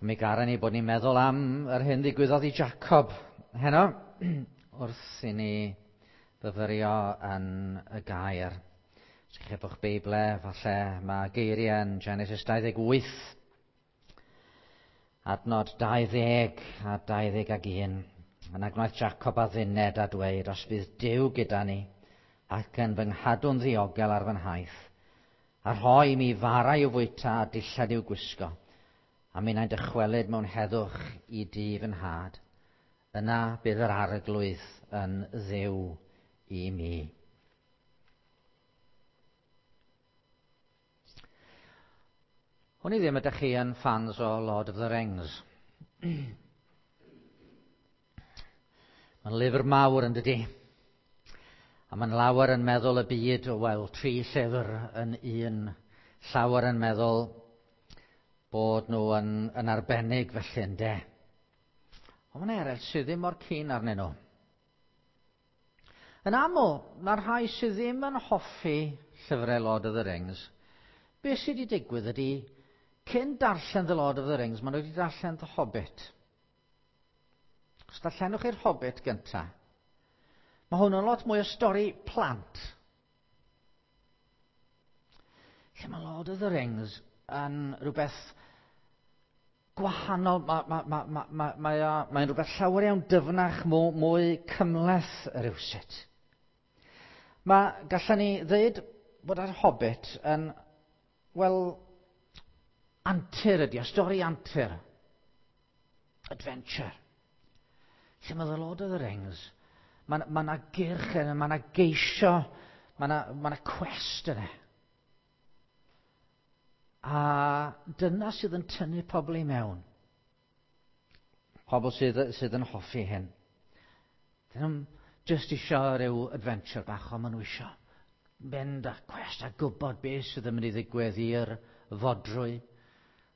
Mi garen ni bod ni'n meddwl am yr hyn ddigwyddodd i Jacob heno wrth i ni fyfyrio yn y gair. Os ych chi efo'ch Beible, falle mae geiriau yn Genesis 28, adnod 20 a 21. Yna gwnaeth Jacob adduned a dweud, os bydd Duw gyda ni ac yn fy nghadw'n ddiogel ar fy nhaith, a rhoi i mi fara i'w fwyta a dillad i'w gwisgo, a minnau'n dychwelyd mewn heddwch i dŷ fy nhad, yna bydd yr arglwydd yn dduw i mi. Hwn i ddim ydych chi yn fans o Lord of the Rings. Mae'n lyfr mawr yn dydy. A mae'n lawer yn meddwl y byd o weld tri llyfr yn un. Llawer yn meddwl bod nhw yn, yn arbennig felly ynde. Ond mae'n eraill sydd ddim mor cyn arnyn nhw. Yn aml, mae'r rhai sydd ddim yn hoffi llyfrau Lord of the Rings, beth sydd wedi digwydd ydy, cyn darllen The Lord of the Rings, maen nhw wedi darllen The Hobbit. Os darllenwch chi'r Hobbit gynta, mae hwn yn lot mwy o stori plant. Lle mae Lord of the Rings yn rhywbeth gwahanol, mae'n ma, ma, ma, ma, mae mae'n rhywbeth llawer iawn dyfnach, mwy, mwy cymhleth rhywsut. Mae, gallen ni ddweud bod yr Hobbit yn, wel, antur ydi o, stori antur. Adventure. Lle mae The Lord of the Rings, mae ma 'na gyrch yna, mae 'na geisio, mae 'na, ma 'na quest yna. A dyna sydd yn tynnu pobl i mewn. Pobl sydd, sydd yn hoffi hyn. Dyn nhw'n just isio rhyw adventure bach, ond maen nhw isio mynd a quest a gwybod beth sydd yn mynd i ddigwydd i'r fodrwy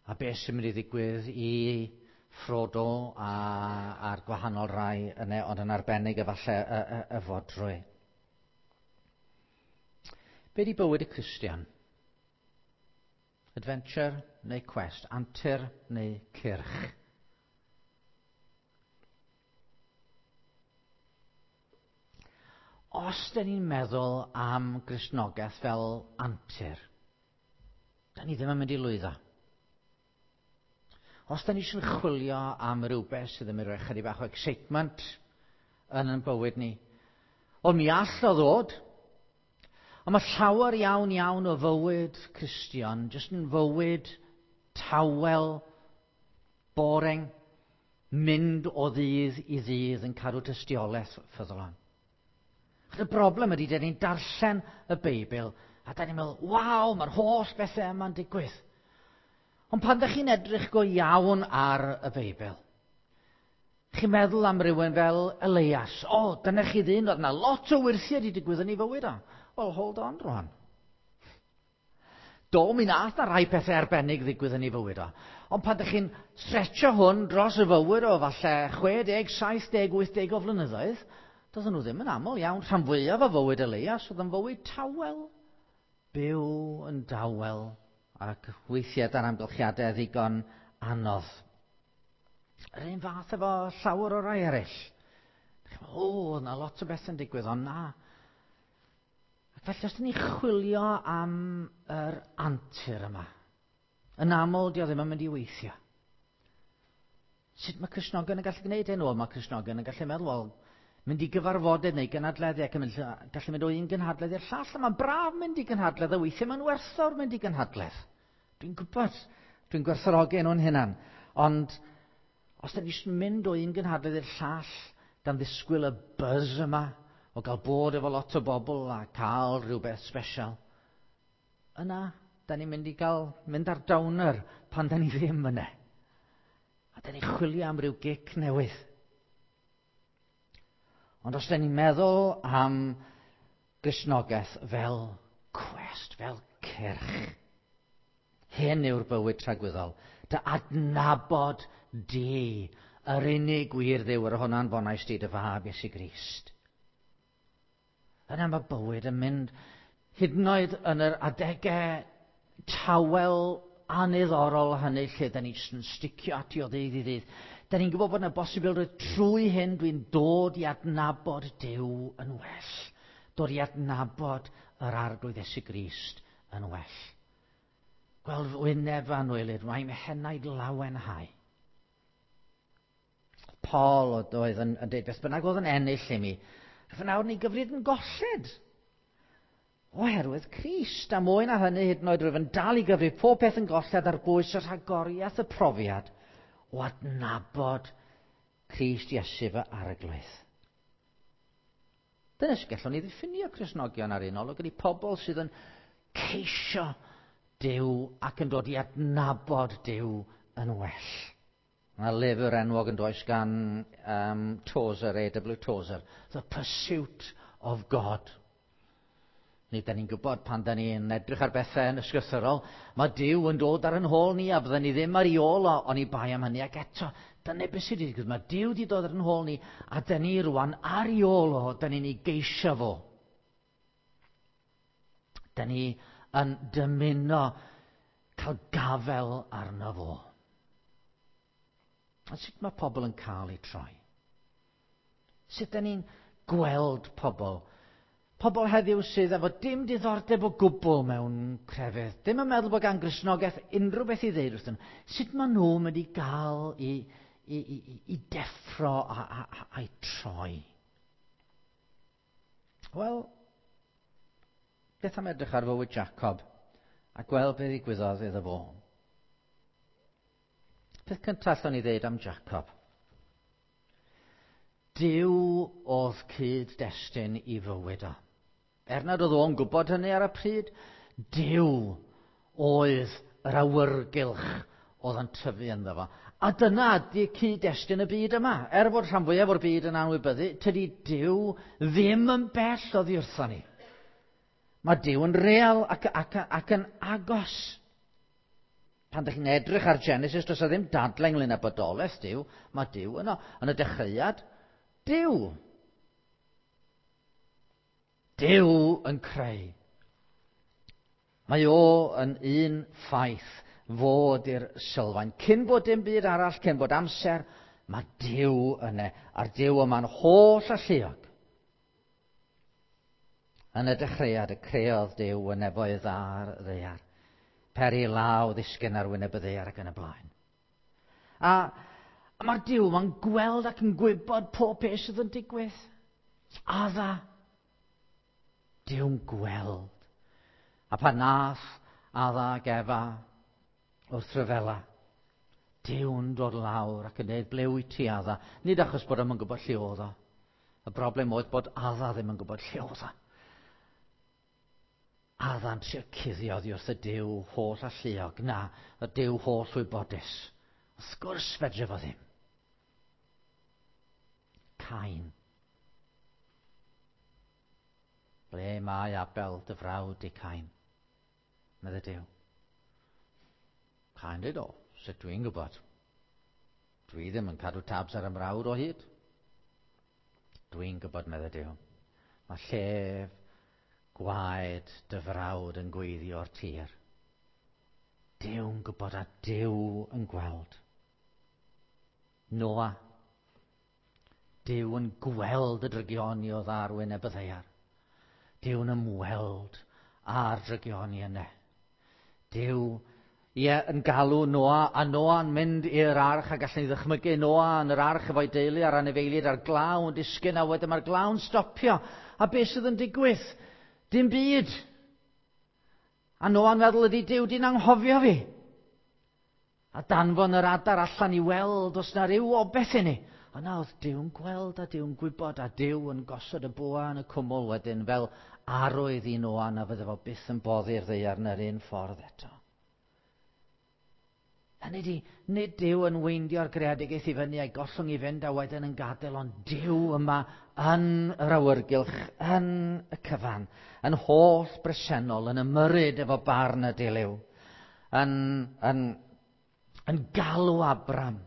a beth sy'n mynd i ddigwydd i Frodo a, a'r gwahanol rai yna, ond yn arbennig efallai y, y, y fodrwy. Be di bywyd y Cristion? Adventure neu quest? Antur neu cyrch? Os dyn ni'n meddwl am Gristnogaeth fel antur, da ni ddim yn mynd i lwyddo. Os da ni eisiau chwilio am rhywbeth sydd yn mynd i roi chydig bach o excitement yn ein bywyd ni, wel mi all o ddod. Ond mae llawer iawn iawn o fywyd Cristion jyst yn fywyd tawel, boring, mynd o ddydd i ddydd yn cadw tystiolaeth ffyddlon. Y broblem ydy, dyn ni'n darllen y Beibl a da ni'n meddwl, waw, mae'r holl bethau yma'n digwydd. Ond pan ydych chi'n edrych go iawn ar y Beibl, chi'n meddwl am rywun fel Elias. O, dyna chi ddyn, oedd yna lot o wyrthiau wedi digwydd yn ei fywyd o. Wel, hold on rwan. Do, mi nath na rai pethau arbennig ddigwydd yn ei fywyd o. Ond pan ydych chi'n stretcho hwn dros y fywyd o falle 60, 70, 80 o flynyddoedd, doedden nhw ddim yn aml iawn. Rhan fwyaf o fywyd Elias oedd yn fywyd tawel. Byw yn dawel ac weithiau dan amgylchiadau ddigon anodd. Yr un fath efo llawer o rai eraill. O, yna lot o bethau'n digwydd, ond na. Ac felly, os dyn ni chwilio am yr antur yma, yn aml, di o ddim yn mynd i weithio. Sut mae Cristnogion yn gallu gwneud hyn? Wel, mae Cristnogion yn gallu meddwl, wel, mynd i gyfarfodydd neu gynadleddu ac yn mynd, gallu mynd o un gynhadledd i'r llall. A mae'n braf mynd i gynhadledd, a weithiau mae'n werthfawr mynd i gynhadledd. Dwi'n gwybod, dwi'n gwerthfawrogi nhw'n hunan. Ond os da ni eisiau mynd o un gynhadledd i'r llall, gan ddisgwyl y buzz yma, o gael bod efo lot o bobl a cael rhywbeth special, yna, da ni'n mynd i gael mynd ar downer pan da ni ddim yna. A da ni'n chwilio am ryw gic newydd. Ond os da ni'n meddwl am Gristnogaeth fel quest, fel cyrch, hyn yw'r bywyd tragwyddol. Dy adnabod di, yr unig wir Dduw, yr hwn anfonais di dy fab Iesu Grist. Yna mae bywyd yn mynd hyd yn oed yn yr adegau tawel aniddorol hynny lle da ni jyst yn sticio ati o ddydd i ddydd. Da ni'n gwybod bod yna bosibilrwydd trwy hyn dwi'n dod i adnabod Duw yn well. Dod i adnabod yr Arglwydd Iesu Grist yn well. Gweld wyneb fy anwylyd, mae'n henaid lawenhau. Paul oedd yn dweud beth bynnag oedd yn ennill i mi. Fy nawr ni gyfrif yn golled. Oherwydd Crist, a mwy na hynny hyd yn oed rwyf yn dal i gyfrif pob peth yn golled ar bwys y rhagoriaeth y profiad o adnabod Crist Iesu fy Arglwydd. Dyna sut gallwn ni ddiffinio Cristnogion ar un olwg, ydy pobl sydd yn ceisio Duw ac yn dod i adnabod Duw yn well. Mae lyfr enwog yn does gan Tozer, A.W. Tozer, The Pursuit of God. Nid da ni'n gwybod pan da ni'n edrych ar bethau yn ysgrythurol, mae Duw yn dod ar yn hôl ni a fydden ni ddim ar ei ôl o, oni bai am hynny. Ac eto, dyna beth sydd wedi digwydd. Mae Duw wedi dod ar yn hôl ni a da ni rwan ar ei ôl o, da ni'n ei geisio fo. Da ni yn dymuno cael gafel arno fo. A sut mae pobl yn cael eu troi? Sut da ni'n gweld pobl? Pobl heddiw sydd efo dim diddordeb o gwbl mewn crefydd, dim yn meddwl bod gan Gristnogaeth unrhyw beth i ddeud wrthyn nhw. Sut maen nhw'n mynd i gael i deffro a'i troi? Wel, beth am edrych ar fywyd Jacob a gweld beth ddigwyddodd iddo fo? Peth cyntaf allwn ni ddeud am Jacob. Duw oedd cyd-destun i fywyd o. Er nad oedd o'n gwybod hynny ar y pryd, Duw oedd yr awyrgylch oedd yn tyfu ynddo fo. A dyna ydy cyd-destun y byd yma. Er fod rhan fwyaf o'r byd yn anwybyddu, tydi Duw ddim yn bell oddi wrthon ni. Mae Duw yn real ac yn agos. Pan ydych chi'n edrych ar Genesis, does 'na ddim dadlau ynglyn â bodolaeth Duw. Mae Duw yno. Yn y dechreuad, Duw. Duw yn creu. Mae o yn un ffaith fod i'r sylfaen. Cyn bod dim byd arall, cyn bod amser, mae Duw yna. A'r Duw yma'n holl alluog. Yn y dechreuad y creodd Duw y nefoedd a'r ddaear. Peri law ddisgyn ar wyneb y ddaear ac yn y blaen. A mae'r Duw yma'n gweld ac yn gwybod pob peth sydd yn digwydd. Adda. Duw'n gweld. A pan nath Adda ac Efa wrth ryfela, Duw'n dod lawr ac yn dweud, ble wyt ti, Adda? Nid achos bod o'm yn gwybod lle oedd o. Y broblem oedd bod Adda ddim yn gwybod lle oedd o. Adda'n trio cuddio oddi wrth y Duw holl alluog, na, y Duw holl wybodus. Wrth gwrs fedre fo ddim. Cain. Ble mae Abel dy frawd di, Cain? Medde Duw. Cain dweud, o, sut dwi'n gwybod? Dwi ddim yn cadw tabs ar y mrawd o hyd. Dwi'n gwybod, medde Duw. Mae llef gwaed dy frawd yn gweiddi o'r tir. Duw'n gwybod a Duw yn gweld. Noa. Duw yn gweld y drygioni oedd ar wyneb y ddaear. Duw'n ymweld â'r drygioni yna. Duw, ie, yn galw Noa, a Noa'n mynd i'r arch, a gallwn ni ddychmygu Noa yn yr arch efo'i deulu a'r anifeiliaid a'r glaw yn disgyn, a wedyn mae'r glaw'n stopio. A beth sydd yn digwydd? Dim byd. A Noa'n meddwl, ydy Duw di'n anghofio fi? A danfon yr adar allan i weld os na ryw obeth i ni. A na oedd Duw'n gweld a Duw'n gwybod a Duw yn gosod y bwa yn y cwmwl wedyn fel arwydd i Noa na fydde fo byth yn boddi'r ddaear yn yr un ffordd eto. Hynny ydi, nid Duw yn weindio'r greadigaeth i fyny a'i gollwng i fynd a wedyn yn gadael, ond Duw yma yn yr awyrgylch, yn y cyfan, yn holl bresennol, yn ymyrryd efo barn y dilyw, yn galw Abram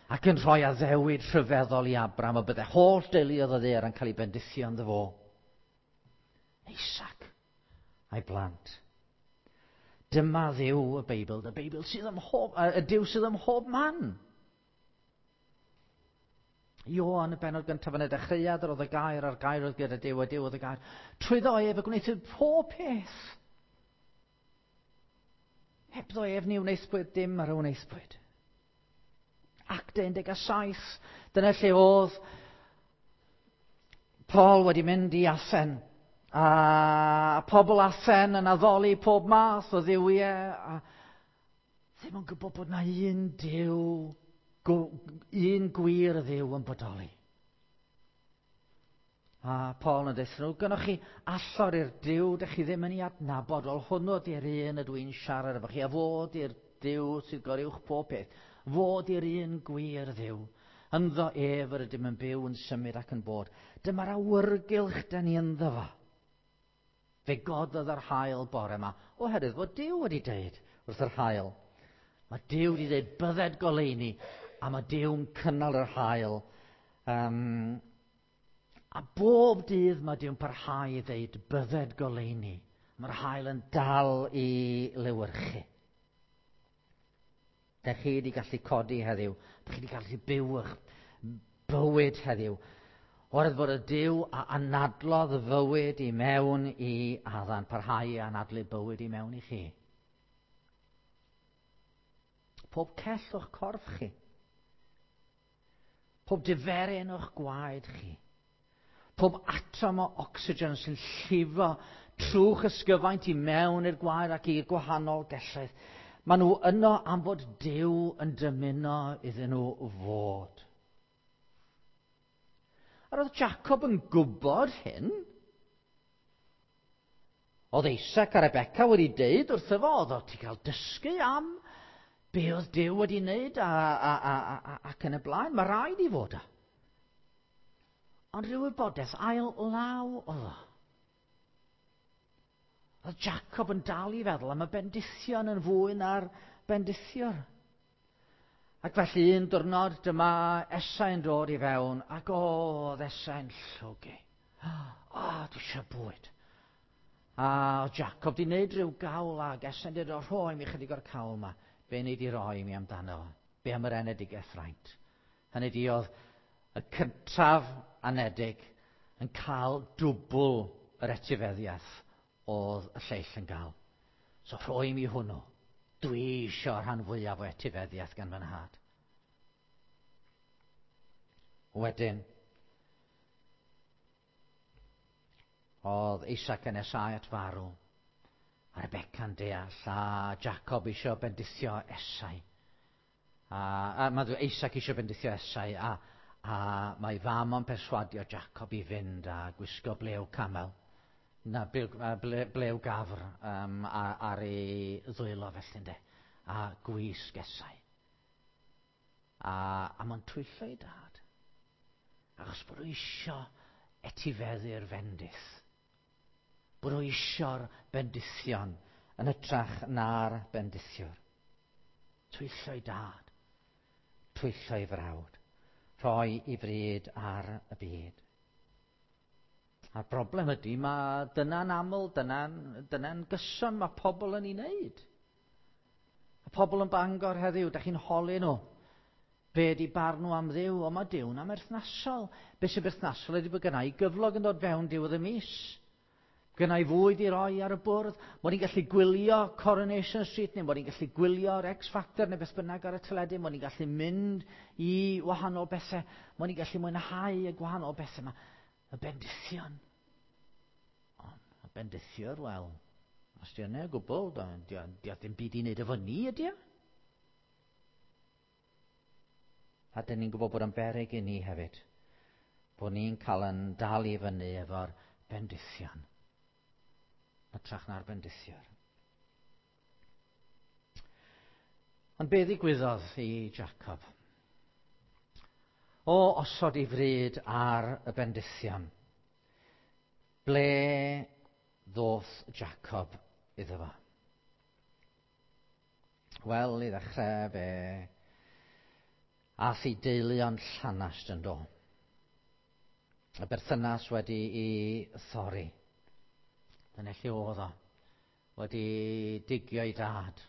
ac yn rhoi addewid rhyfeddol i Abram y bydde holl deuluoedd y ddaear yn cael ei bendithio ynddo fo. Isaac a'i blant. Dyma Dduw y Beibl, y Beibl sydd ym mhob, y Duw sydd ym mhob man. Ioan, y bennod gyntaf yn y dechreuad, yr oedd y gair, a'r gair oedd gyda Duw, a Duw oedd y gair. Trwyddo ef y gwnaethpwyd pob peth. Hebddo ef ni wnaethpwyd dim ar y wnaethpwyd. Actau 17, dyna lle oedd Paul wedi mynd i Athen. A pobl Athen yn addoli pob math o dduwiau. A ddim yn gwybod bod na un Duw, un gwir Dduw yn bodoli. A Paul yn dweud nhw, gynnwch chi allor i'r Duw, dych chi ddim yn ei adnabod, wel hwnnw di'r un ydw i'n siarad efo chi, a fo di'r Duw sydd goruwch pob peth. Fo di'r un gwir Dduw. Ynddo ef yr ydym yn byw, yn symud ac yn bod. Dyma'r awyrgylch da ni ynddo fo. Fe gododd yr haul bore yma, oherwydd fod Duw wedi deud wrth yr haul. Mae Duw wedi deud bydded goleuni, a mae Duw'n cynnal yr haul. A bob dydd mae Duw'n parhau i ddeud bydded goleuni. Mae'r haul yn dal i lewyrchu. Dych chi wedi gallu codi heddiw. Dych chi wedi gallu byw eich bywyd heddiw. Oherwydd bod y Duw a anadlodd fywyd i mewn i Addan, parhau i anadlu bywyd i mewn i chi. Pob cell o'ch corff chi. Pob diferyn o'ch gwaed chi. Pob atom o ocsigen sy'n llifo trw'ch ysgyfaint i mewn i'r gwaed ac i'r gwahanol gelloedd. Maen nhw yno am fod Duw yn dymuno iddyn nhw fod. A roedd Jacob yn gwybod hyn. Oedd Isaac a Rebecca wedi deud wrtho fo, oedd o ti cael dysgu am be oedd Duw wedi wneud ac yn y blaen. Mae rhaid i fod o. Ond rhyw wybodaeth ail law oedd o. Oedd Jacob yn dal i feddwl am y bendithion yn fwy na'r bendithiwr. Ac felly un diwrnod dyma Esau'n dod i fewn, ac oedd Esau'n llwgu. O, dwi eisiau bwyd. A oedd Jacob di wneud rhyw gawl ac Esau'n dweud, o, rhoi mi chydig o'r cawl yma. Be nei di roi mi amdano fo? Be am yr enedigaeth fraint? Hynny di oedd y cyntaf anedig yn cael dwbl yr etifeddiaeth oedd y lleill yn gael. So rhoi mi hwnnw. Dwi eisiau rhan fwyaf o etifeddiaeth gan fy nhad. Wedyn, oedd Isaac yn nesáu at farw, a Rebecca'n deall, a Jacob eisiau bendithio Esau. A mae Isaac eisiau bendithio Esau, a mae fam o'n perswadio Jacob i fynd a gwisgo blew camel, na blew gafr ar ei ddwylo felly ynde, a gwisg Esau. A mae'n twyllo ei dad, achos bod nhw isio etifeddu'r fendith. Bod nhw isio'r bendithion yn hytrach na'r bendithiwr. Twyllo ei dad, twyllo ei frawd, rhoi i fryd ar y byd. A'r broblem ydy, mae dyna'n aml, dyna'n gyson mae pobl yn ei wneud. A pobl yn Bangor heddiw, da chi'n holi nhw. Be ydy barn nhw am Dduw? O, mae Duw'n amherthnasol. Be sy'n berthnasol ydy bod gynna i gyflog yn dod fewn diwedd y mis. Gynna i fwyd i roi ar y bwrdd. Mod i'n gallu gwylio Coronation Street, neu mod i'n gallu gwylio'r X Factor, neu beth bynnag ar y teledu. Mod i'n gallu mynd i wahanol bethau. Mod i'n gallu mwynhau y gwahanol bethau yma. Y bendithion. Ond y bendithiwr, wel, os di yna o gwbl, di o ddim byd i wneud efo ni, ydy o? A dyn ni'n gwybod bod yn beryg i ni hefyd, bod ni'n cael yn dal i fyny efo'r bendithion, hytrach na'r bendithiwr. Ond be ddigwyddodd i Jacob? O osod ei fryd ar y bendithion, ble ddoth Jacob iddo fo? Wel, i ddechrau fe ath ei deulu o'n llanast yn do. Y berthynas wedi ei thorri. Dyna lle oedd o. wedi digio ei dad,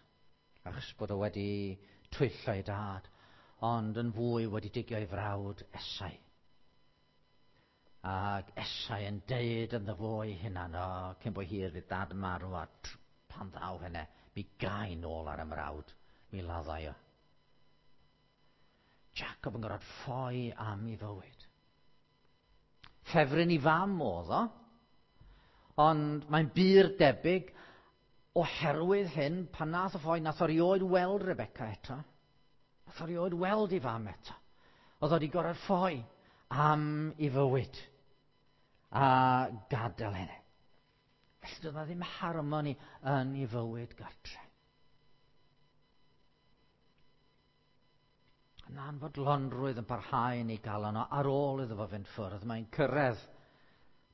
achos bod o wedi twyllo ei dad, ond yn fwy wedi digio ei frawd Esau. Ac Esau yn deud ynddo fo ei hunan, o, cyn bo hir fydd dad yn marw, a pan ddaw hynny, mi gai nôl ar y mrawd, mi laddai o. Jacob yn gorfod ffoi am ei fywyd. Ffefryn i fam oedd o, ond mae'n bur debyg oherwydd hyn, pan nath o ffoi, nath o rioed weld Rebecca eto. Nath o rioed weld ei fam eto. Oedd o wedi gorfod ffoi am ei fywyd a gadael hynny. Felly doedd 'na ddim harmoni yn ei fywyd gartre. Yn anfodlonrwydd yn parhau yn ei galon o ar ôl iddo fo fynd ffwrdd. Mae'n cyrraedd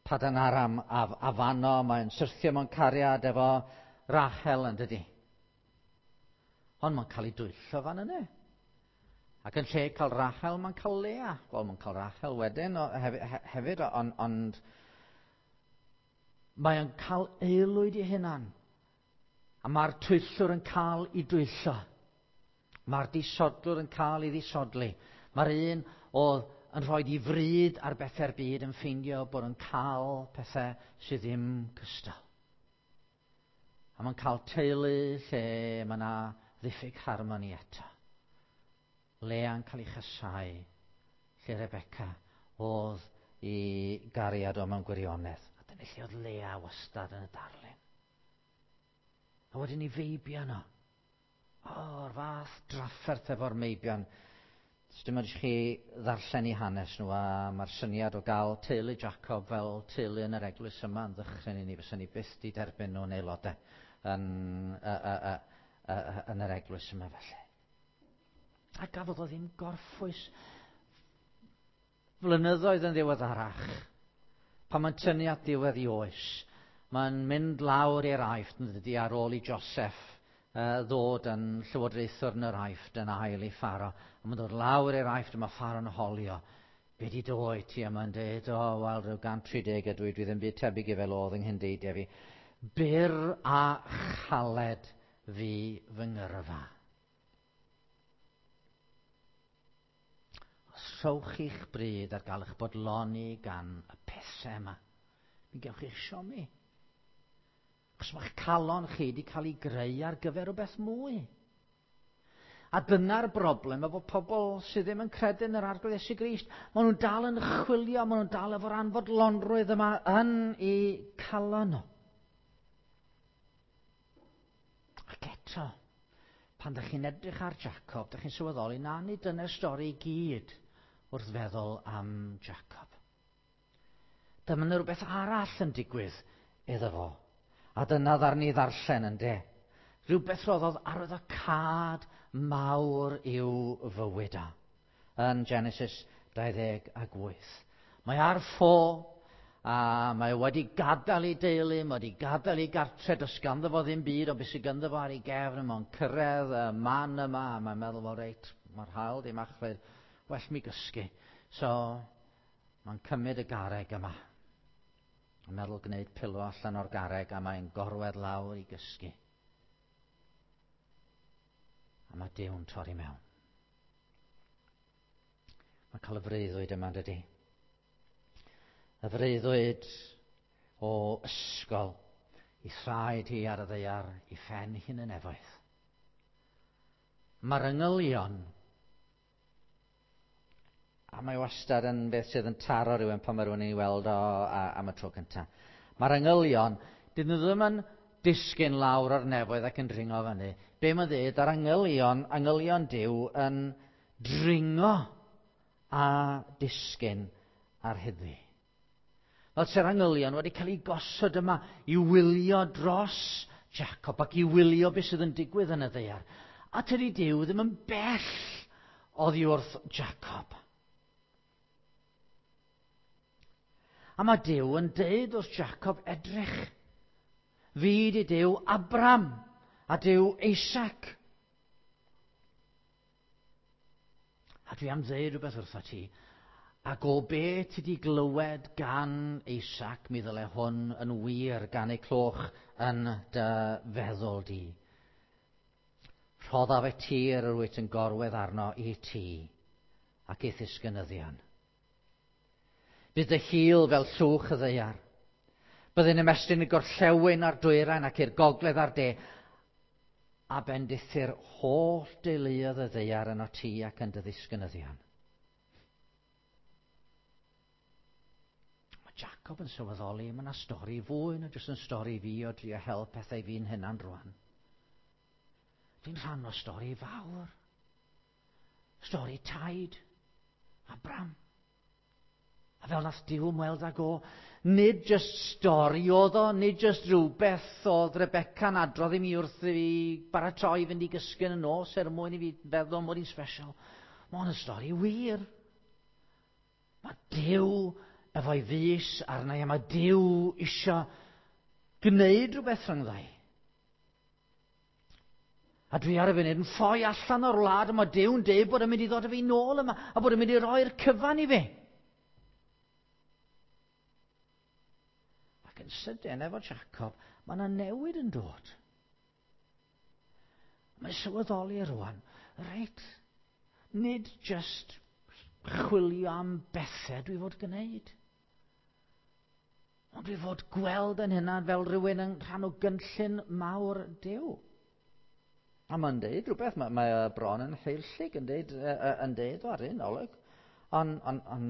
Padan Aram a, a fano, mae'n syrthio mewn cariad efo Rachel yn dydi. Ond mae'n cael ei dwyllo fan yna. Ac yn lle cael Rachel, mae'n cael Lea. Wel, mae'n cael Rachel wedyn o, hefyd, ond on, mae'n cael aelwyd ei hunan. A mae'r twyllwr yn cael ei dwyllo. Mae'r disodlwr yn cael ei ddisodli. Mae'r un oedd yn rhoi i fryd ar bethau'r byd yn ffeindio bod yn cael pethau sydd ddim cystal. A mae'n cael teulu lle mae yna ddiffyg harmoni eto. Lea'n cael ei chasau, lle Rebecca oedd i gariad o mewn gwirionedd. A dyna lle oedd Lea wastad yn y darlun. A wedyn i feibion o. O'r fath drafferth efo'r meibion. Dim ond i chi ddarllen i hanes nhw, a mae'r syniad o gael teulu Jacob fel teulu yn yr eglwys yma yn ddychryn i ni, fysa ni byth di derbyn nhw'n aelodau yn, yn yr eglwys yma felly. A gafodd o ddim gorffwys flynyddoedd yn ddiweddarach, pan mae'n tynnu at ddiwedd i oes, mae'n mynd lawr i'r Aifft yn dydi ar ôl i Joseph ddod yn llywodraethwr yn yr Aifft yn ail i Pharo. A mae'n dod lawr i'r Aifft a mae Pharo'n holio. Be di dy oed ti? A mae'n dweud, o, wel, rhyw 130 ydw i, dwi ddim byd tebyg i fel oedd yng nghyndeidiau fi. Byr a chaled fi fy ngyrfa. Os rhowch chi'ch bryd ar gael eich bodloni gan y pethau yma, mi gewch chi'ch siomi. Achos mae'ch calon chi wedi cael ei greu ar gyfer rhywbeth mwy. A dyna'r broblem efo pobl sydd ddim yn credu yn yr Arglwydd Iesu Grist. Maen nhw'n dal yn chwilio, maen nhw'n dal efo'r anfodlonrwydd yma yn eu calon nhw. Ac eto, pan ydych chi'n edrych ar Jacob, ydych chi'n sylweddoli na nid dyna'r stori i gyd wrth feddwl am Jacob. Dyma yna rhywbeth arall yn digwydd iddo fo. A dyna ddarn i ddarllen yn de. Rhywbeth roddodd arwyddocâd mawr i'w fywyd o. Yn Genesis 28. Mae ar ffo, a mae wedi gadael ei deulu, mae wedi gadael ei gartre, does ganddo fo ddim byd, ond beth sydd ganddo fo ar ei gefn, mae'n cyrraedd y man yma, a mae'n meddwl, wel reit, mae'r haul di machlud, well mi gysgu. So, mae'n cymryd y garreg yma. Mae'n meddwl gwneud pilo allan o'r garreg a mae'n gorwedd lawr i gysgu. A mae Duw'n torri mewn. Mae'n cael y freuddwyd yma, dydy. Y freuddwyd o ysgol i thraed hi ar y ddaear, i phen hi'n y nefoedd. Mae'r angylion, a mae wastad yn beth sydd yn taro rhywun pan mae rhywun yn ei weld o am y tro cyntaf. Mae'r angylion, dyn nhw ddim yn disgyn lawr o'r nefoedd ac yn dringo fyny. Be mae'n dweud, yr angylion, angylion Duw yn dringo a disgyn ar hyddi. Fel se'r angylion wedi cael eu gosod yma i wylio dros Jacob ac i wylio beth sydd yn digwydd yn y ddaear. A tydi Duw ddim yn bell oddi wrth Jacob. A mae Duw yn deud wrth Jacob, edrych, fi di Duw Abram a Duw Isaac. A dwi am ddeud rhywbeth wrtho ti. Ac o be ti di glywed gan Isaac, mi ddyle hwn yn wir gan ei cloch yn dy feddwl di. Rhoddaf y tir yr wyt yn gorwedd arno i ti ac i'th ddisgynyddion. Bydd dy hil fel llwch y ddaear. Byddai'n ymestyn y gorllewin a'r dwyrain ac i'r gogledd a'r de, a bendithu'r holl deuluoedd y ddaear yno ti ac yn dy ddisgynyddion. Mae Jacob yn sylweddoli, mae yna stori fwy na jyst yn stori fi o drio hel pethau fi'n hunan rwan. Fi'n rhan o stori fawr. Stori taid, Abram. A fel nath Duw ymweld ag o, nid jyst stori oedd o, nid jyst rhywbeth oedd Rebecca'n adrodd i mi wrth i fi baratoi fynd i gysgu yn y nos er mwyn i fi feddwl mod i'n special. Mae hwn yn stori wir. Mae Duw efo'i fys arna i, a mae Duw isio gwneud rhywbeth rhyngddau. A dwi ar y funud yn ffoi allan o'r wlad, a mae Duw'n deud bod yn mynd i ddod â fi nôl yma, a bod yn mynd i roi'r cyfan i fi. Ac yn sydyn efo Jacob, mae yna newid yn dod. Mae'n sylweddoli rwan, reit, nid just chwilio am bethau dwi fod gwneud. Ond dwi fod gweld yn hynna fel rhywun yn rhan o gynllun mawr Duw. A mae'n deud rhywbeth, mae bron yn heillig yn deud, yn deud o ar un olwg. Ond on, on,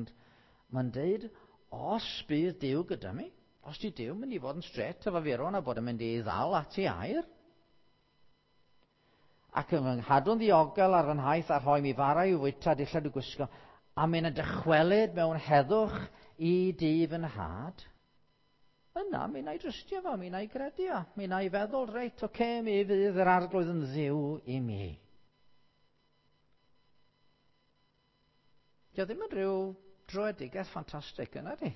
mae'n deud, os bydd Duw gyda mi, os di Duw mynd i fod yn stret efo fi rwan a bod yn mynd i ddal at ei air, ac yn fy nghadw'n ddiogel ar fy nhaith a rhoi mi fara i'w fwyta dillad i'w gwisgo, a mynd yn dychwelyd mewn heddwch i dŷ fy nhad, yna mi wna i drystio fo, mi wna i gredu o, mi wna i feddwl, reit, oce, okay, mi fydd yr arglwydd yn ddiw i mi. Dio ddim yn rhyw dröedigaeth ffantastig yna di.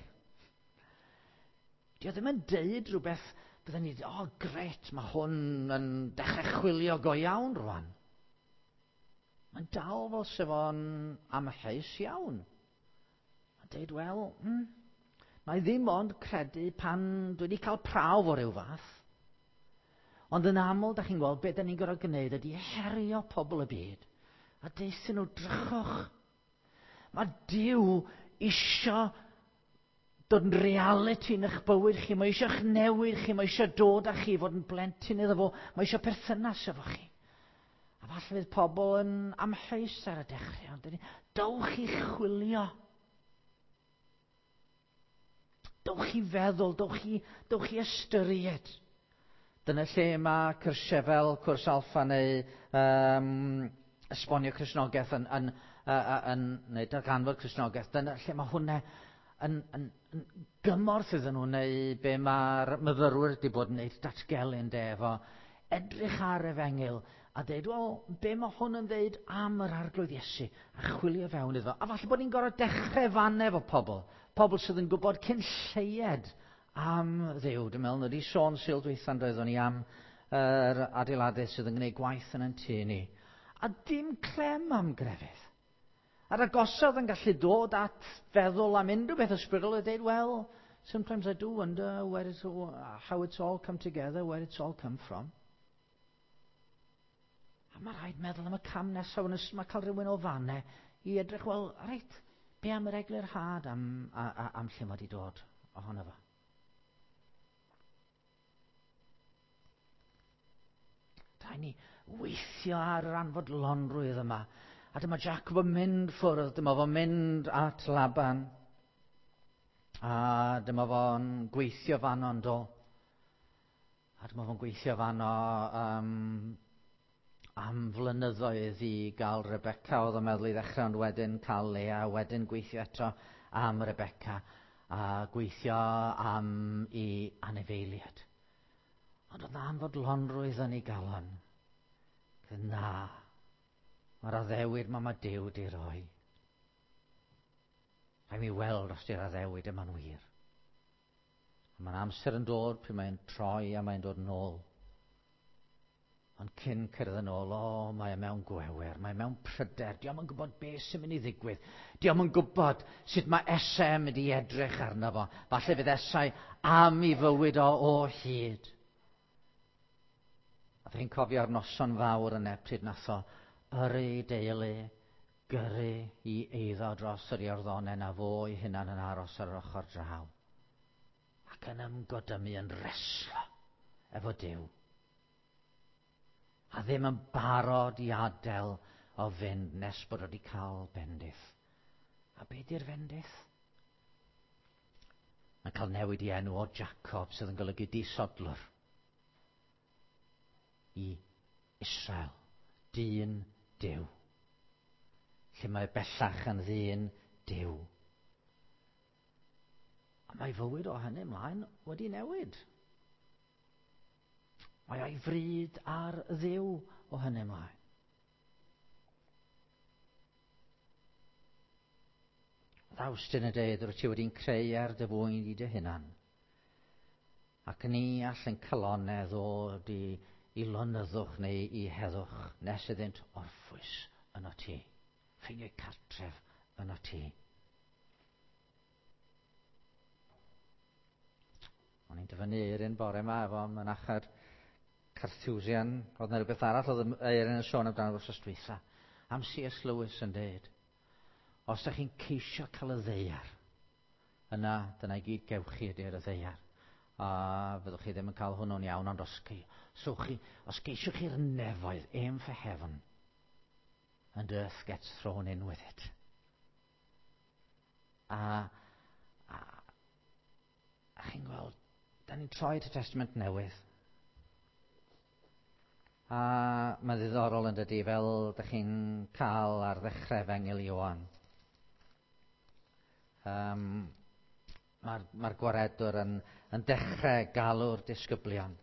Dio ddim yn deud rhywbeth bydden ni, o oh, gret, mae hwn yn dechrau chwilio go iawn rwan. Mae'n dal fel sef o'n amheus iawn. Mae'n deud, wel, na i ddim ond credu pan dwi wedi cael prawf o ryw fath. Ond yn aml, da chi'n gweld, beth da ni'n gorfod gwneud ydy herio pobl y byd. A deuthyn nhw, drychwch. Mae Duw isio dod yn reality yn eich bywyd chi. Mae eisiau eich newid chi. Mae eisiau dod â chi fod yn blentyn iddo fo. Mae eisiau perthynas efo chi. A falle fydd pobl yn amheus ar y dechrau. Ond dowch i chwilio. Dowch i feddwl, dowch i ystyried. Dyna lle mae cyrsiau fel cwrs Alpha neu esbonio Cristnogaeth neu darganfod Cristnogaeth. Dyna lle mae hwnna yn gymorth iddyn nhw, neu be mae'r myfyrwyr wedi bod yn gwneud datgelu yn de, efo edrych ar efengyl a deud, wel, be mae hwn yn ddeud am yr Arglwydd Iesu, a chwilio fewn iddo. A falle bod ni'n gorfod dechrau fan efo pobl, pobl sydd yn gwybod cyn lleied am Dduw. Dwi'n meddwl, wedi sôn Sul dwytha'n doeddwn ni am yr adeiladau sydd yn gwneud gwaith yn ein tŷ ni. A dim clem am grefydd. A'r agosodd yn gallu dod at feddwl am unrhyw beth ysbrydol a dweud, well, sometimes I do wonder where it's all, how it's all come together, where it's all come from. A mae rhaid meddwl am y cam nesaf, mae cael rhywun o fanne i edrych, wel, reit, be am yr eglurhad am lle mae wedi dod ohono fo? Rhaid ni weithio ar yr anfodlonrwydd yma. A dyma Jacob yn mynd ffwrdd, dyma fo'n mynd at Laban. A dyma fo'n gweithio fanno yn do. A dyma fo'n gweithio fanno am flynyddoedd i gael Rebecca, oedd o'n meddwl i ddechrau, ond wedyn cael Lea, wedyn gweithio eto am Rebecca, a gweithio am i anifeiliaid. Ond oedd anfodlonrwydd yn ei galon. Na, mae'r addewid ma Duw di roi. Rhaid mi weld os di'r addewid yma'n wir. A mae'n amser yn dod pryd mae'n troi a mae'n dod nôl. Ond cyn cyrraedd yn ôl, o, mae e mewn gwewer, mae e mewn pryder, diolch yn gwybod beth sy'n mynd i ddigwydd. Diolch yn gwybod sut mae Esau yn mynd i edrych arno fo. Falle fydd Esau am i fywyd o o hyd. A chi'n cofio'r noson fawr yna pryd nath o yrru ei deulu, gyrru i eiddo dros yr Iorddonen a fo ei hunan yn aros ar yr ochr draw. Ac yn ymgodymu yn reslo efo Duw. A ddim yn barod i adael o fynd nes bod wedi cael bendith. A be di'r fendith? Mae'n cael newid i enw o Jacob sydd yn golygu disodlwr i Israel, dyn Duw. Lle mae bellach yn ddyn Duw. A mae fywyd o hynny ymlaen wedi newid. Mae o'i fryd ar Dduw o hynny ymlaen. Awstin yn dweud, rwyt ti wedi'n creu ar dy fwyn i dy hunan. Ac ni all yn calonau ddod i, i lonyddwch neu i heddwch nes iddynt orffwys yno ti. Ffeindio cartref yno ti. O'n i'n dyfynnu Eirin bore yma efo mynachad Carthusian. Oedd yna rhywbeth arall oedd Eirin yn sôn amdano wythnos dwytha. Am C.S. Lewis yn dweud, os ydych chi'n ceisio cael y ddeiar, yna dyna i gyd gewch chi ydy'r y ddeiar. A fyddwch chi ddim yn cael hwnnw'n iawn, ond os, so chi, os geisiwch chi'r nefoedd, aim for heaven, and earth gets thrown in with it. A, a, a chi'n gweld, da ni'n troi at y Testament Newydd. A mae'n ddiddorol yn dydy, fel da chi'n cael ar ddechrau Efengyl Ioan. Um, Mae'r mae gwaredwr yn, yn dechrau galw'r disgyblion.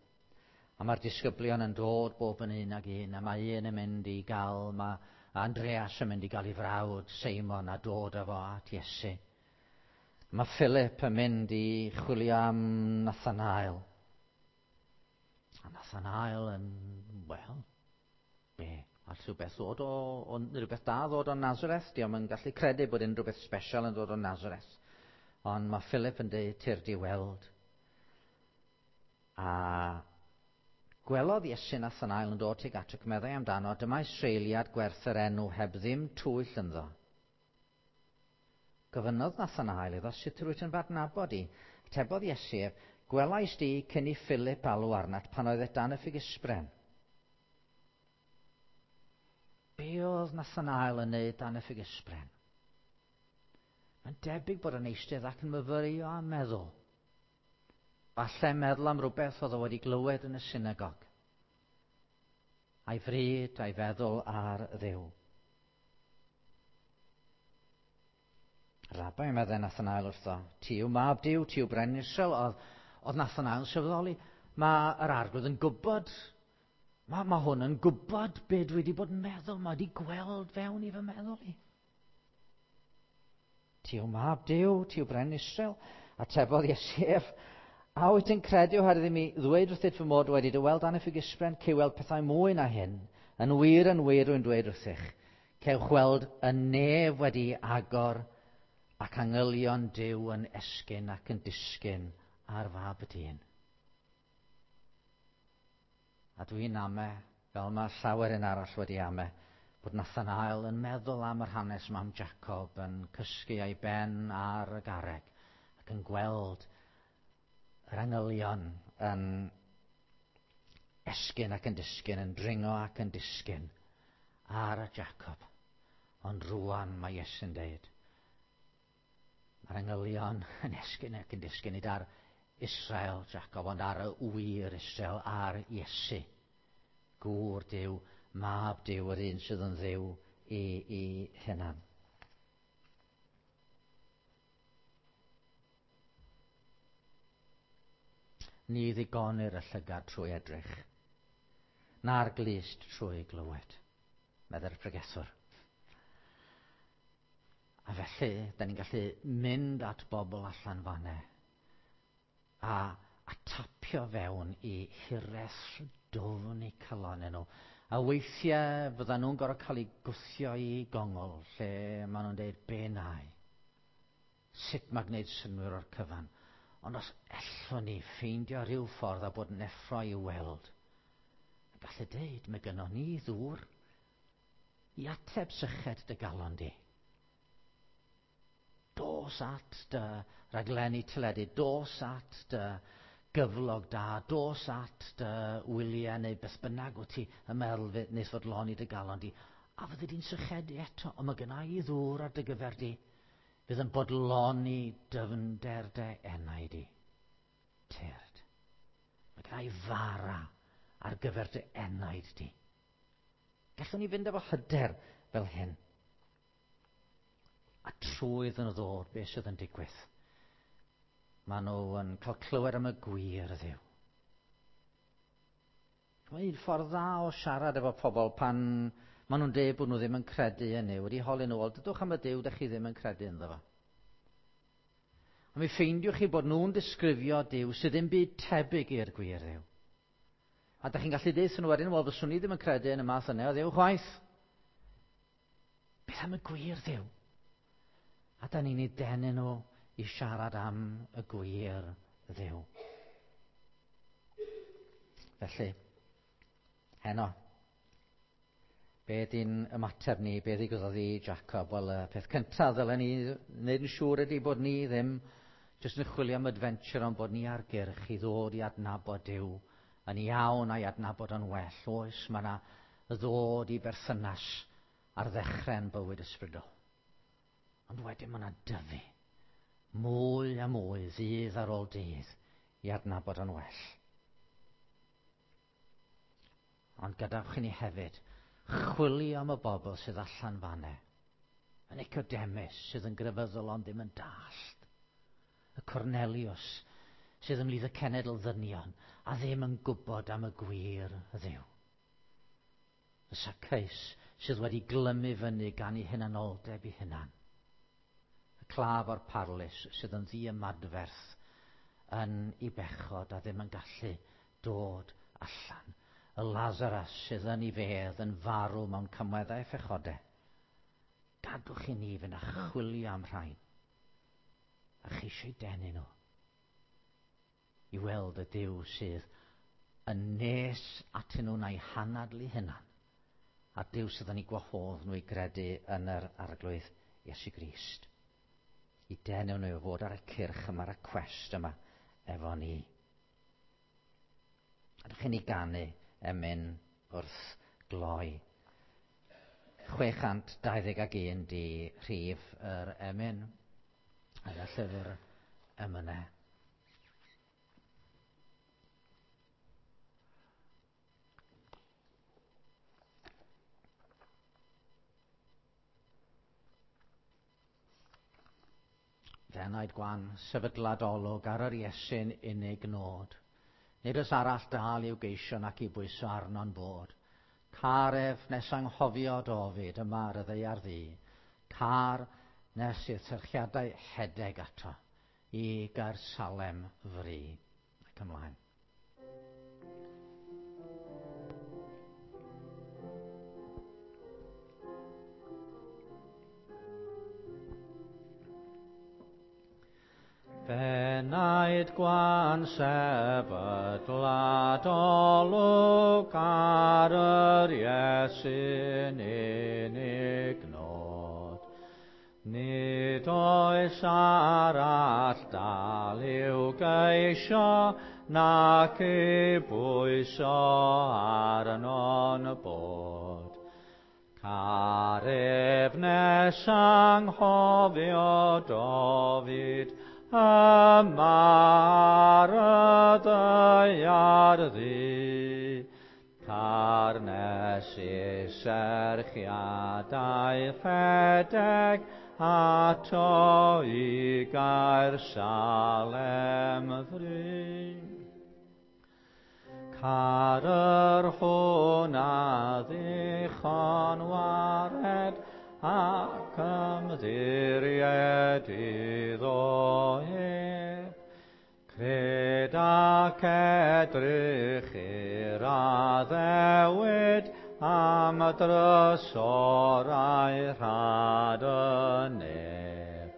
A mae'r disgyblion yn dod bob yn un ag un, a mae un yn mynd i gael, mae Andreas yn mynd i gael ei frawd Seimon a dod â fo at Iesu. Mae Philip yn mynd i chwilio am Nathanael. A Nathanael yn, wel, be? All rhywbeth ddod o, o rhywbeth da ddod o Nazareth? Diolch yn gallu credu bod unrhyw beth special yn dod o Nazareth. Ond mae Philip yn dweud, tyrd i weld. A gwelodd Iesu Nathanael yn dod tuag at ac meddai amdano, dyma Israeliad gwerth yr enw heb ddim twyll ynddo. Gofynnodd Nathanael iddo, sut rwyt yn fadnabod i? Tebodd Iesu ef, gwelais di cyn i Philip alw arnat pan oedd e dan y ffigysbren. Be oedd Nathanael yn neud dan y ffigysbren? Mae'n debyg bod yn eistedd ac yn myfyrio a meddwl. Falle meddwl am rhywbeth oedd o wedi glywed yn y synagog. A'i fryd a'i feddwl ar Dduw. Rabai, meddai Nathanael wrtho, ti yw mab Duw, ti yw brenin Israel. Oedd, oedd Nathanael yn sylweddoli, mae yr arglwydd yn gwybod, mae, mae hwn yn gwybod be dwi wedi bod yn meddwl, mae wedi gweld fewn i fy meddwl i. Ti yw mab Duw, ti yw brenin Israel. Atebodd Iesu ef, a wyt ti'n credu oherwydd i mi ddweud wrthyt fy mod wedi dy weld dan y ffigysbren, cei weld pethau mwy na hyn. Yn wir, yn wir, rwy'n dweud wrthych. Cewch weld y nef wedi agor ac angylion Duw yn esgyn ac yn disgyn ar fab y dyn. A dwi'n ame, fel mae llawer un arall wedi ame, bod Nathanael yn meddwl am yr hanes yma am Jacob yn cysgu a'i ben ar y garreg ac yn gweld yr angylion yn esgyn ac yn disgyn, yn dringo ac yn disgyn ar y Jacob. Ond rwan mae Iesu'n deud, mae'r angylion yn esgyn ac yn disgyn nid ar Israel, Jacob, ond ar y wir Israel, ar Iesu. Gŵr Duw, mab Duw, yr un sydd yn Dduw i, i hunan. Ni ddigonir y llygad trwy edrych, na'r glust trwy glywed, meddai'r pregethwr. A felly, da ni'n gallu mynd at bobl allan fanne a, A tapio fewn i hiraeth dwfn eu calonnau nhw. A weithiau fyddan nhw'n gorfod cael eu gwthio i gongol lle maen nhw'n dweud, be nai? Sut mae gwneud synnwyr o'r cyfan? Ond os ellwn ni ffeindio rhyw ffordd a bod yn effro i weld, a gallu deud, mae gynnon ni ddŵr i ateb syched dy galon di. Dos at dy raglenni teledu, dos at dy gyflog da, dos at dy wyliau neu beth bynnag wyt ti yn meddwl wneith fodloni dy galon di, a fyddi di'n sychedu eto, ond mae gynna i ddŵr ar dy gyfer di, fydd yn bodloni dyfnder dy enau di. Tyrd. Mae gynna i fara ar gyfer dy enaid di. Gallwn ni fynd efo hyder fel hyn. A trwy iddyn nhw ddod, beth sydd yn digwydd? Maen nhw yn cael clywed am y gwir Dduw. Mae un ffordd dda o siarad efo pobl pan maen nhw'n dweud bod nhw ddim yn credu yn Nuw. Wedi holi nhw, wel, dydwch am y Duw dych chi ddim yn credu ynddo fo. A mi ffeindiwch chi bod nhw'n disgrifio Duw sydd ddim byd tebyg i'r gwir Dduw. A dych chi'n gallu deud nhw wedyn, wel, fyswn i ddim yn credu yn y math yna o Dduw chwaith. Beth am y gwir Dduw? A da ni'n ei denu nhw i siarad am y gwir Dduw. Felly, heno, be di'n ymateb ni, be ddigwyddodd i Jacob? Wel, y peth cyntaf ddylen ni wneud yn siŵr ydy bod ni ddim jyst yn chwilio am adventure, ond bod ni ar gyrch i ddod i adnabod Duw yn iawn a'i adnabod yn well. Oes, mae yna ddod i berthynas ar ddechrau'n bywyd ysbrydol. Ond wedyn mae yna dyfu mwy a mwy ddydd ar ôl dydd i adnabod yn well. Ond gadewch i ni hefyd chwilio am y bobl sydd allan fanne. Y Nicodemus sydd yn grefyddol ond ddim yn dallt. Y Cornelius sydd ymhlith y cenedl ddynion a ddim yn gwybod am y gwir Dduw. Y Zacchaeus sydd wedi glymu fyny gan ei hunanoldeb ei hunan. Y claf o'r parlys sydd yn ddiymadferth yn ei bechod a ddim yn gallu dod allan. Y Lazarus sydd yn ei fedd yn farw mewn cymweddau phechodau. Gadwch i ni fynd a chwilio am rhain a cheisio eu denu nhw i weld y Duw sydd yn nes atyn nhw na'i hanadlu hunan, a Duw sydd yn eu gwahodd nhw i gredu yn yr Arglwydd Iesu Grist. I denu nhw i fod ar y cyrch yma, ar y cwest yma efo ni. A dych chi'n ei ganu emyn wrth gloi. 621 di rhif yr emyn yn y llyfr emynau. Fenaid gwan, sefydlad olwg ar yr Iesu'n unig nod. Nid oes arall dal i'w geisio nac i bwyso arno'n bod. Car ef nes anghofio Dofid yma ar y ddaear ddu. Car nes i'r serchiadau hedeg ato i Gaersalem fri. Ac ymlaen. Fenaid gwan sefydlad olwg ar yr Iesu'n unig nod. Nid oes arall dal i'w geisio nac i bwyso arno'n bod. Car ef nes anghofio Dofid yma ar y ddaear ddu. Car nes i serchiadau rhedeg ato i Gaersalem fri. Car yr hwn a ddichon wared ac ymddiried iddo ef. Cred ac edrych i'r addewid am y drysorau rhad y nef.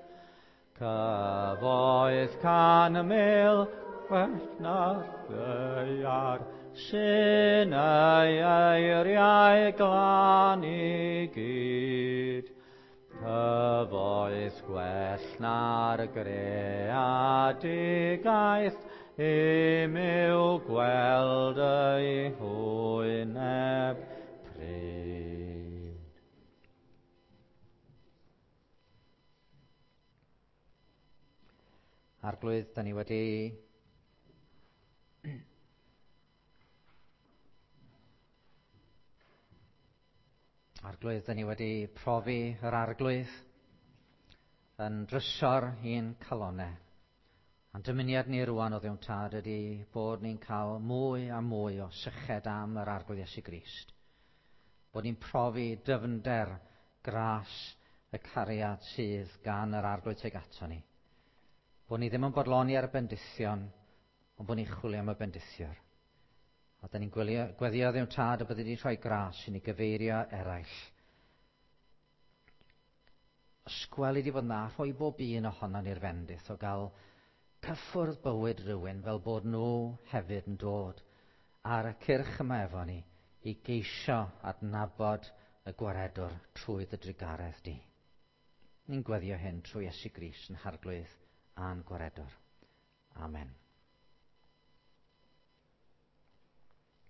Cyfoeth 100,000 well na'r ddaear, sy'n ei eiriau glân i gyd. Cyfoeth gwell na'r greadigaeth, im yw gweld ei hwyneb pryd. Arglwydd, da ni wedi Arglwydd, da ni wedi profi yr Arglwydd yn drysor i'n calonau. A'n dymuniad ni rwan o Dduw Tad ydy bod ni'n cael mwy a mwy o syched am yr Arglwydd Iesu Grist. Bod ni'n profi dyfnder gras y cariad sydd gan yr Arglwydd tuag ato ni. Bod ni ddim yn bodloni ar y bendithion, ond bod ni'n chwilio am y bendithiwr. A da ni'n gweddio Dduw Tad y byddi di rhoi gras i ni gyfeirio eraill. Ysgweli di fod na, rhoi bob un ohonon ni'r fendith o gael cyffwrdd bywyd rhywun fel bod nhw hefyd yn dod ar y cyrch yma efo ni i geisio adnabod y gwaredwr trwy dy drugaredd di. Ni'n gweddio hyn trwy Iesu Grist yn Harglwydd a'n gwaredwr. Amen.